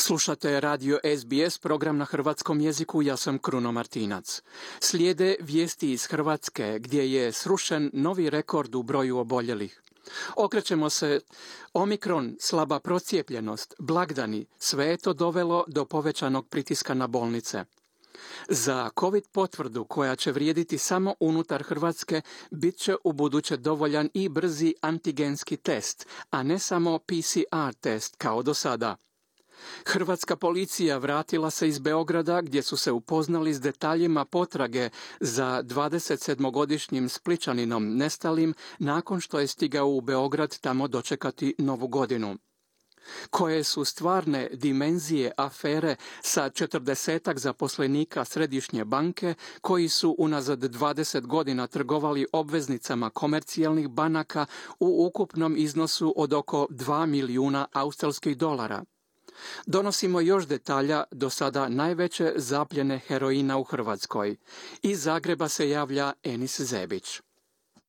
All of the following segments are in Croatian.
Slušate radio SBS, program na hrvatskom jeziku, ja sam Kruno Martinac. Slijede vijesti iz Hrvatske gdje je srušen novi rekord u broju oboljelih. Okrećemo se Omikron, slaba procijepljenost, blagdani, sve je to dovelo do povećanog pritiska na bolnice. Za COVID potvrdu koja će vrijediti samo unutar Hrvatske bit će ubuduće dovoljan i brzi antigenski test, a ne samo PCR test kao do sada. Hrvatska policija vratila se iz Beograda gdje su se upoznali s detaljima potrage za 27-godišnjim Splićaninom nestalim nakon što je stigao u Beograd tamo dočekati Novu godinu. Koje su stvarne dimenzije afere sa 40-ak zaposlenika Središnje banke koji su unazad 20 godina trgovali obveznicama komercijalnih banaka u ukupnom iznosu od oko 2 milijuna australskih dolara? Donosimo još detalja do sada najveće zapljene heroina u Hrvatskoj. Iz Zagreba se javlja Enis Zebić.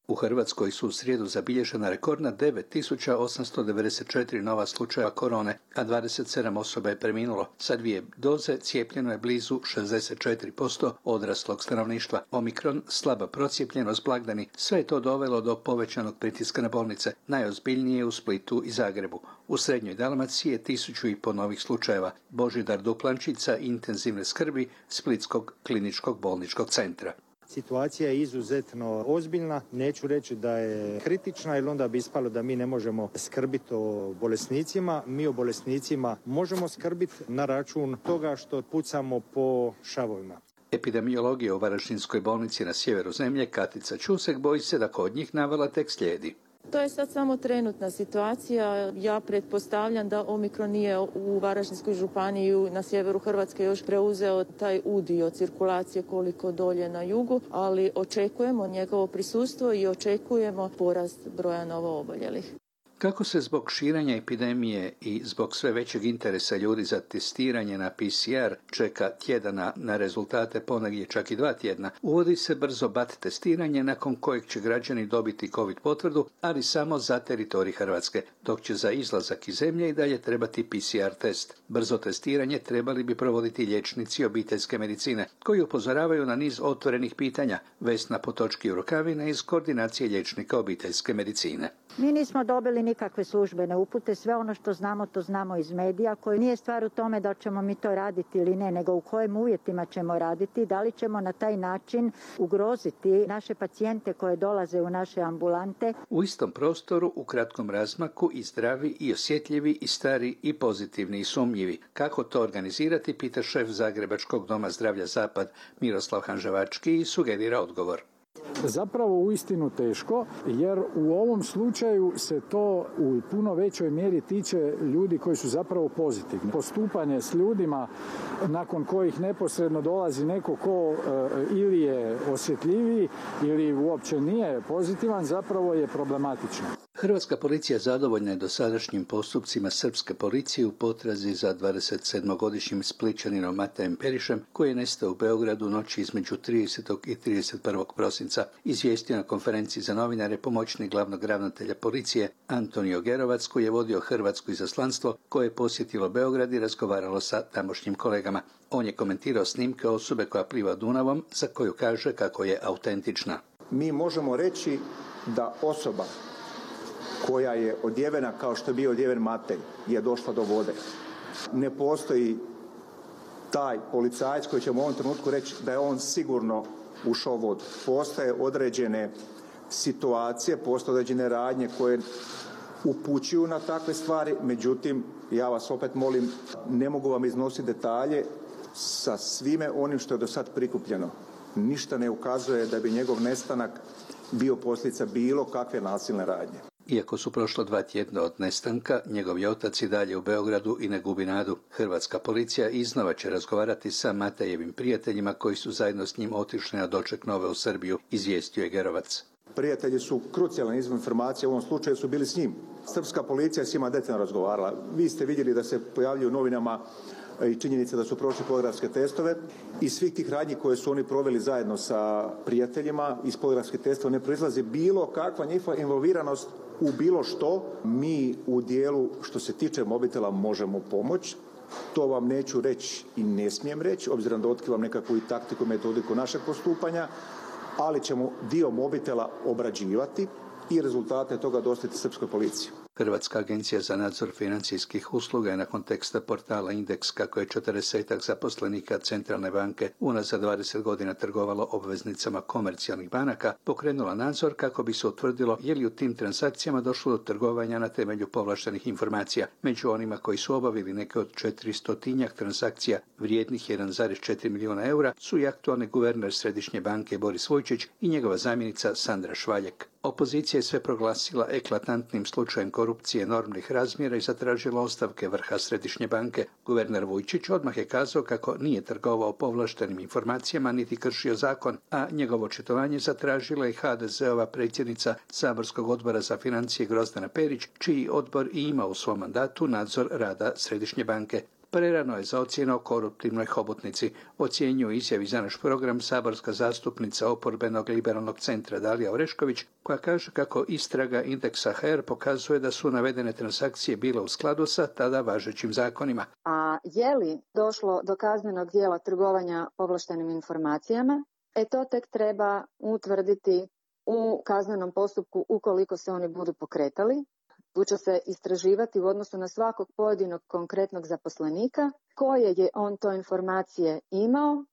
U Hrvatskoj su u srijedu zabilježena rekordna 9894 nova slučaja korone, a 27 osoba je preminulo. Sa 2 doze cijepljeno je blizu 64% odraslog stanovništva. Omikron, slaba procijepljenost, blagdani, sve je to dovelo do povećanog pritiska na bolnice. Najozbiljnije u Splitu i Zagrebu. U Srednjoj Dalmaciji je 1500 novih slučajeva. Božidar Duplančica intenzivne skrbi Splitskog kliničkog bolničkog centra. Situacija je izuzetno ozbiljna, neću reći da je kritična jer onda bi ispalo da mi ne možemo skrbiti o bolesnicima. Mi o bolesnicima možemo skrbiti na račun toga što pucamo po šavovima. Epidemiologija u Varaždinskoj bolnici na sjeveru zemlje Katica Čusek boji se da kod njih navala tek slijedi. To je sad samo trenutna situacija. Ja pretpostavljam da Omikron nije u Varaždinskoj županiji na sjeveru Hrvatske još preuzeo taj udio cirkulacije koliko dolje na jugu, ali očekujemo njegovo prisustvo i očekujemo porast broja novooboljelih. Kako se zbog širenja epidemije i zbog sve većeg interesa ljudi za testiranje na PCR čeka tjedana na rezultate, ponegdje čak i 2 tjedna, uvodi se brzo BAT testiranje nakon kojeg će građani dobiti COVID potvrdu, ali samo za teritorij Hrvatske, dok će za izlazak iz zemlje i dalje trebati PCR test. Brzo testiranje trebali bi provoditi liječnici obiteljske medicine, koji upozoravaju na niz otvorenih pitanja. Vesna Potočki-Rukavina iz koordinacije liječnika obiteljske medicine. Mi nismo dobili nikakve službene upute, sve ono što znamo to znamo iz medija, koji nije stvar u tome da ćemo mi to raditi ili ne, nego u kojim uvjetima ćemo raditi, da li ćemo na taj način ugroziti naše pacijente koje dolaze u naše ambulante. U istom prostoru, u kratkom razmaku i zdravi i osjetljivi i stari i pozitivni i sumnjivi. Kako to organizirati, pita šef Zagrebačkog doma zdravlja Zapad Miroslav Hanževački i sugerira odgovor. Zapravo uistinu teško, jer u ovom slučaju se to u puno većoj mjeri tiče ljudi koji su zapravo pozitivni. Postupanje s ljudima nakon kojih neposredno dolazi neko ko ili je osjetljiviji ili uopće nije pozitivan, zapravo je problematično. Hrvatska policija zadovoljna je dosadašnjim postupcima srpske policije u potrazi za 27-godišnjim Splićaninom Matejem Perišem, koji je nestao u Beogradu noći između 30. i 31. prosinca, izvijestio na konferenciji za novinare pomoćnik glavnog ravnatelja policije Antonio Gerovac, koji je vodio hrvatsko izaslanstvo koje je posjetilo Beograd i razgovaralo sa tamošnjim kolegama. On je komentirao snimke osobe koja pliva Dunavom, za koju kaže kako je autentična. Mi možemo reći da osoba koja je odjevena kao što je bio odjeven Matej je došla do vode. Ne postoji taj policajac koji ćemo u ovom trenutku reći da je on sigurno ušao u vodu. Postoje određene situacije, postoje određene radnje koje upućuju na takve stvari, međutim, ja vas opet molim, ne mogu vam iznositi detalje sa svime onim što je do sad prikupljeno. Ništa ne ukazuje da bi njegov nestanak bio posljedica bilo kakve nasilne radnje. Iako su prošla 2 tjedna od nestanka, njegov je otac i dalje u Beogradu i ne gubi nadu. Hrvatska policija iznova će razgovarati sa Matejevim prijateljima koji su zajedno s njim otišli na doček nove u Srbiju, izvijestio je Gerovac. Prijatelji su krucijalan izvor informacija, u ovom slučaju su bili s njim. Srpska policija s njima detaljno razgovarala. Vi ste vidjeli da se pojavljuju u novinama i činjenica da su prošli poligrafske testove. Iz svih tih radnji koje su oni proveli zajedno sa prijateljima iz poligrafskih testova ne proizlazi bilo kakva njihova involviranost u bilo što. Mi u dijelu što se tiče mobitela možemo pomoći, to vam neću reći i ne smijem reći, obzirom da otkrivam nekakvu i taktiku i metodiku našeg postupanja, ali ćemo dio mobitela obrađivati i rezultate toga dostaviti srpskoj policiji. Hrvatska agencija za nadzor financijskih usluga je nakon teksta portala Indeks kako je 40 zaposlenika Centralne banke unazad 20 godina trgovalo obveznicama komercijalnih banaka pokrenula nadzor kako bi se utvrdilo je li u tim transakcijama došlo do trgovanja na temelju povlaštenih informacija. Među onima koji su obavili neke od 400 transakcija vrijednih 1,4 milijuna eura su i aktualni guverner Središnje banke Boris Vujčić i njegova zamjenica Sandra Švaljek. Opozicija je sve proglasila eklatantnim slučajem korupcije enormnih razmjera i zatražila ostavke vrha Središnje banke. Guverner Vujčić odmah je kazao kako nije trgovao povlaštenim informacijama niti kršio zakon, a njegovo očitovanje zatražila je HDZ-ova predsjednica Saborskog odbora za financije Grozdana Perić, čiji odbor i ima u svom mandatu nadzor rada Središnje banke. Prerano je za ocjenu o koruptivnoj hobotnici, ocjenjuje izjavi za naš program saborska zastupnica oporbenog liberalnog centra Dalija Orešković, koja kaže kako istraga Indeksa HR pokazuje da su navedene transakcije bile u skladu sa tada važećim zakonima. A je li došlo do kaznenog djela trgovanja povlaštenim informacijama? To tek treba utvrditi u kaznenom postupku ukoliko se oni budu pokretali. Tu će se istraživati u odnosu na svakog pojedinog konkretnog zaposlenika, koje je on to informacije imao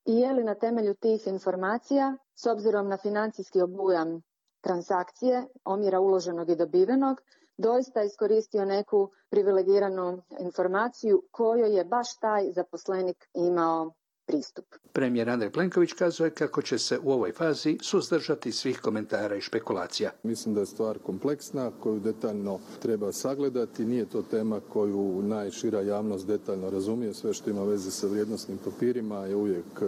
i je li na temelju tih informacija, s obzirom na financijski obujam transakcije, omjera uloženog i dobivenog, doista iskoristio neku privilegiranu informaciju kojoj je baš taj zaposlenik imao pristup. Premijer Andrej Plenković kazuje kako će se u ovoj fazi suzdržati svih komentara i špekulacija. Mislim da je stvar kompleksna koju detaljno treba sagledati. Nije to tema koju najšira javnost detaljno razumije. Sve što ima veze sa vrijednosnim papirima je uvijek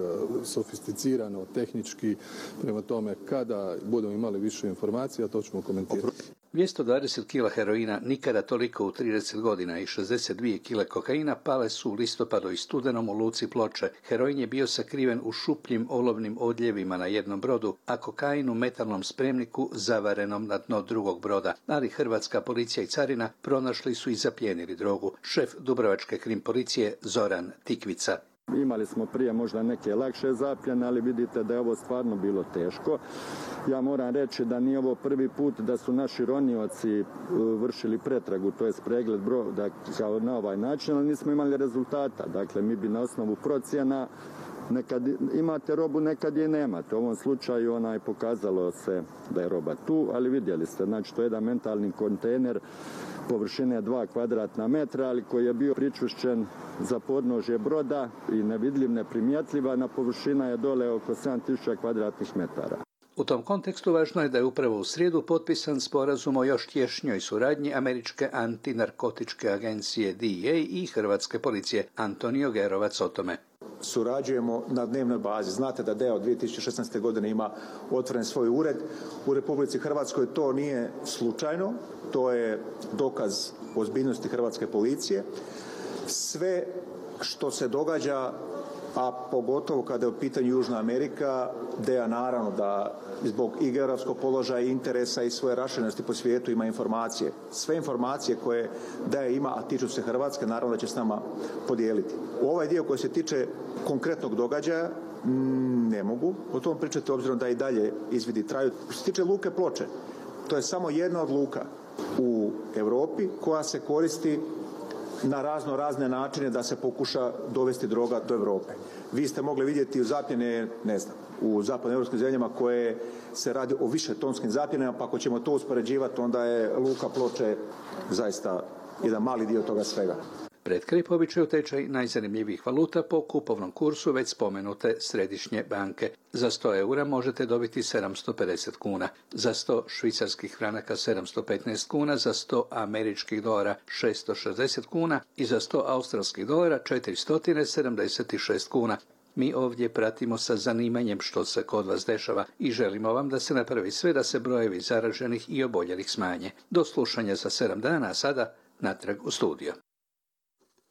sofisticirano, tehnički. Prema tome, kada budemo imali više informacija, to ćemo komentirati. 220 kila heroina, nikada toliko u 30 godina i 62 kile kokaina pale su u listopadu i studenom u luci Ploče. Heroin je bio sakriven u šupljim olovnim odljevima na jednom brodu, a kokain u metalnom spremniku zavarenom na dno drugog broda. Ali hrvatska policija i carina pronašli su i zaplijenili drogu. Šef Dubrovačke krim policije Zoran Tikvica. Imali smo prije možda neke lakše zapljene, ali vidite da je ovo stvarno bilo teško. Ja moram reći da nije ovo prvi put da su naši ronioci vršili pretragu, to je pregled broda kao na ovaj način, ali nismo imali rezultata. Dakle, mi bi na osnovu procjena nekad imate robu, nekad je nemate. U ovom slučaju pokazalo se da je roba tu, ali vidjeli ste, znači to je jedan mentalni kontejner površine 2 kvadratna metra, ali koji je bio pričušćen za podnožje broda i nevidljiv, neprimjetljiva, na površina je dole oko 7000 kvadratnih metara. U tom kontekstu važno je da je upravo u srijedu potpisan sporazum o još tješnjoj suradnji američke antinarkotičke agencije DEA i hrvatske policije. Antonio Gerovac o tome. Surađujemo na dnevnoj bazi. Znate da DEA od 2016. godine ima otvoren svoj ured. U Republici Hrvatskoj to nije slučajno. To je dokaz ozbiljnosti hrvatske policije. Sve što se događa, a pogotovo kada je u pitanju Južna Amerika, DEA naravno da zbog i geografskog položaja i interesa i svoje raširenosti po svijetu ima informacije. Sve informacije koje DEA ima, a tiču se Hrvatske, naravno da će s nama podijeliti. U ovaj dio koji se tiče konkretnog događaja ne mogu o tom pričati, obzirom da i dalje izvidi traju. Što se tiče luke Ploče, to je samo jedna od luka u Europi koja se koristi na razne načine da se pokuša dovesti droga do Europe. Vi ste mogli vidjeti u zapljene, u zapadnoevropskim zemljama koje se radi o više tonskim zapljenama, pa ako ćemo to uspoređivati, onda je luka Ploče zaista jedan mali dio toga svega. Pred kraj po običaju tečaj najzanimljivijih valuta po kupovnom kursu već spomenute Središnje banke. Za 100 eura možete dobiti 750 kuna, za 100 švicarskih franaka 715 kuna, za 100 američkih dolara 660 kuna i za 100 australskih dolara 476 kuna. Mi ovdje pratimo sa zanimanjem što se kod vas dešava i želimo vam da se napravi sve da se brojevi zaraženih i oboljelih smanje. Do slušanja za 7 dana, a sada natrag u studio.